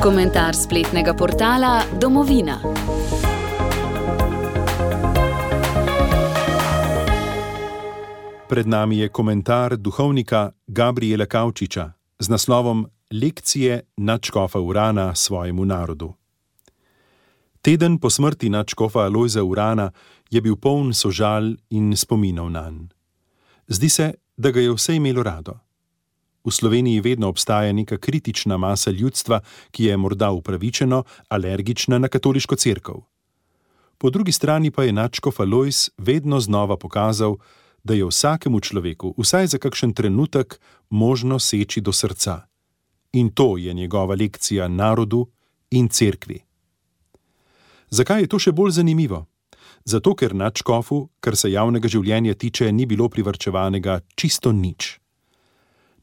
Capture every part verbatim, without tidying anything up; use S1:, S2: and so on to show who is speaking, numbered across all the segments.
S1: Komentar spletnega portala Domovina.
S2: Pred nami je komentar duhovnika Gabriela Kavčiča z naslovom Lekcije nadškofa Urana svojemu narodu. Teden po smrti nadškofa Alojza Urana je bil poln sožal in spominov nanj. Zdi se, da ga je vse imelo rado. V Sloveniji vedno obstaja neka kritična masa ljudstva, ki je morda upravičeno alergična na katoliško cerkev. Po drugi strani pa je nadškof Alojz vedno znova pokazal, da je vsakemu človeku, vsaj za kakšen trenutek, možno seči do srca. In to je njegova lekcija narodu in cerkvi. Zakaj je to še bolj zanimivo? Zato, ker nadškofu, kar se javnega življenja tiče, ni bilo privarčevanega čisto nič.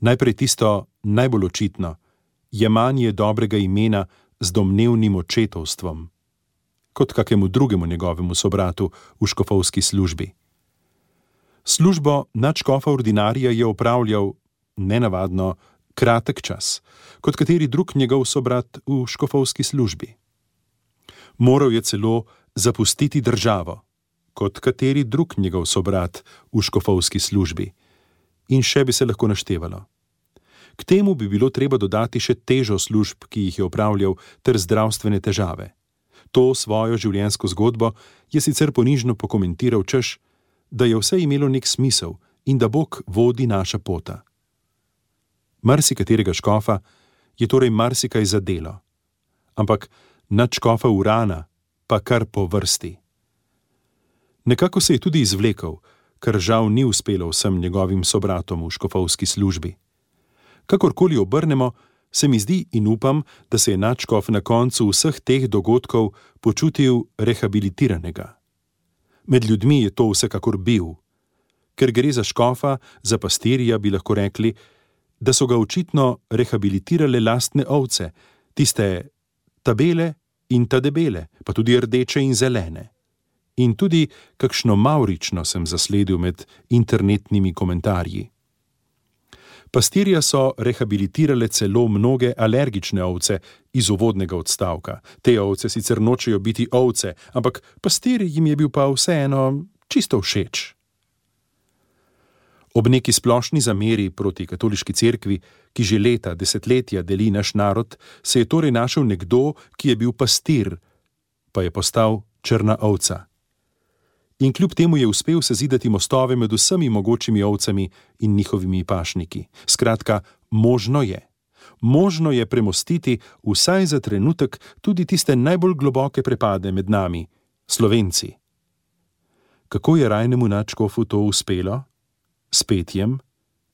S2: Najprej tisto najbolj očitno, jemanje dobrega imena z domnevnim očetovstvom, kot kakemu drugemu njegovemu sobratu v škofovski službi. Službo nadškofa ordinarija je opravljal nenavadno kratek čas, kot kateri drug njegov sobrat v škofovski službi. Moral je celo zapustiti državo, kot kateri drug njegov sobrat v škofovski službi. In še bi se lahko naštevalo. K temu bi bilo treba dodati še težo služb, ki jih je opravljal, ter zdravstvene težave. To svojo življenjsko zgodbo je sicer ponižno pokomentiral, češ, da je vse imelo nek smisel in da Bog vodi naša pota. Marsikaterega škofa je torej marsikaj zadelo, ampak nadškofa Urana pa kar po vrsti. Nekako se je tudi izvlekel, kar žal ni uspelo vsem njegovim sobratom v škofovski službi. Kakorkoli obrnemo, se mi zdi in upam, da se je nadškof na koncu vseh teh dogodkov počutil rehabilitiranega. Med ljudmi je to vsekakor bil. Ker gre za škofa, za pastirja, bi lahko rekli, da so ga očitno rehabilitirale lastne ovce, tiste tabele in ta debele, pa tudi rdeče in zelene. In tudi kakšno mavrično sem zasledil med internetnimi komentarji. Pastirja so rehabilitirale celo mnoge alergične ovce iz uvodnega odstavka. Te ovce sicer nočejo biti ovce, ampak pastir jim je bil pa vseeno čisto všeč. Ob neki splošni zameri proti katoliški cerkvi, ki že leta, desetletja deli naš narod, se je torej našel nekdo, ki je bil pastir, pa je postal črna ovca. In kljub temu je uspel sezidati mostove med vsemi mogočimi ovcami in njihovimi pašniki. Skratka, možno je. Možno je premostiti vsaj za trenutek tudi tiste najbolj globoke prepade med nami, Slovenci. Kako je rajnemu nadškofu to uspelo? S petjem,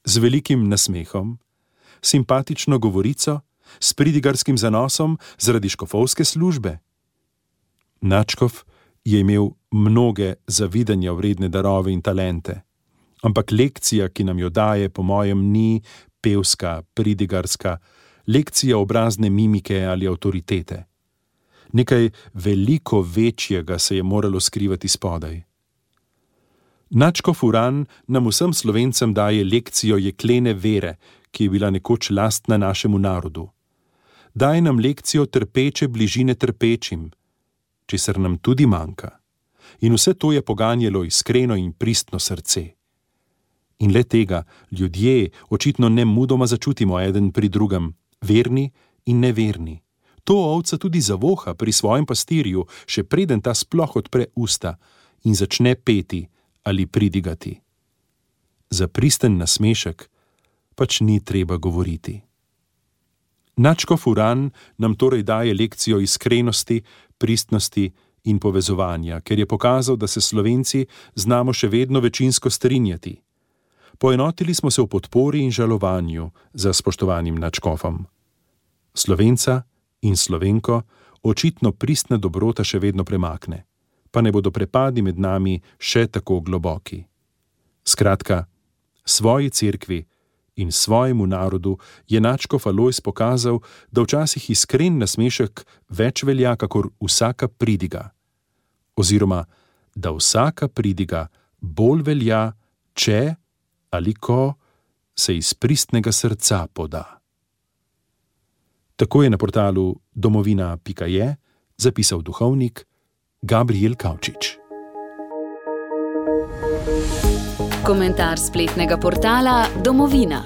S2: z velikim nasmehom, simpatično govorico, s pridigarskim zanosom zaradi škofovske službe? Nadškof je imel mnoge zavidanja vredne darove in talente, ampak lekcija, ki nam jo daje, po mojem, ni pevska, pridigarska, lekcija obrazne mimike ali avtoritete. Nekaj veliko večjega se je moralo skrivati spodaj. Nadškof Uran nam vsem Slovencem daje lekcijo jeklene vere, ki je bila nekoč lastna našemu narodu. Daje nam lekcijo trpeče bližine trpečim, česar nam tudi manjka. In vse to je poganjalo iskreno in pristno srce. In le tega ljudje očitno nemudoma začutimo eden pri drugem, verni in neverni. To ovca tudi zavoha pri svojem pastirju, še preden ta sploh odpre usta in začne peti ali pridigati. Za pristen nasmešek pač ni treba govoriti. Nadškof Uran nam torej daje lekcijo iskrenosti, pristnosti in povezovanja, ker je pokazal, da se Slovenci znamo še vedno večinsko strinjati. Poenotili smo se v podpori in žalovanju za spoštovanim nadškofom. Slovenca in Slovenko očitno pristna dobrota še vedno premakne, pa ne bodo prepadi med nami še tako globoki. Skratka, svoji cerkvi in svojemu narodu je nadškof Alojz pokazal, da včasih iskren nasmešek več velja kakor vsaka pridiga, oziroma da vsaka pridiga bolj velja, če ali ko se iz pristnega srca poda. Tako je na portalu domovina pika je zapisal duhovnik Gabriel Kavčič.
S1: Komentar spletnega portala Domovina.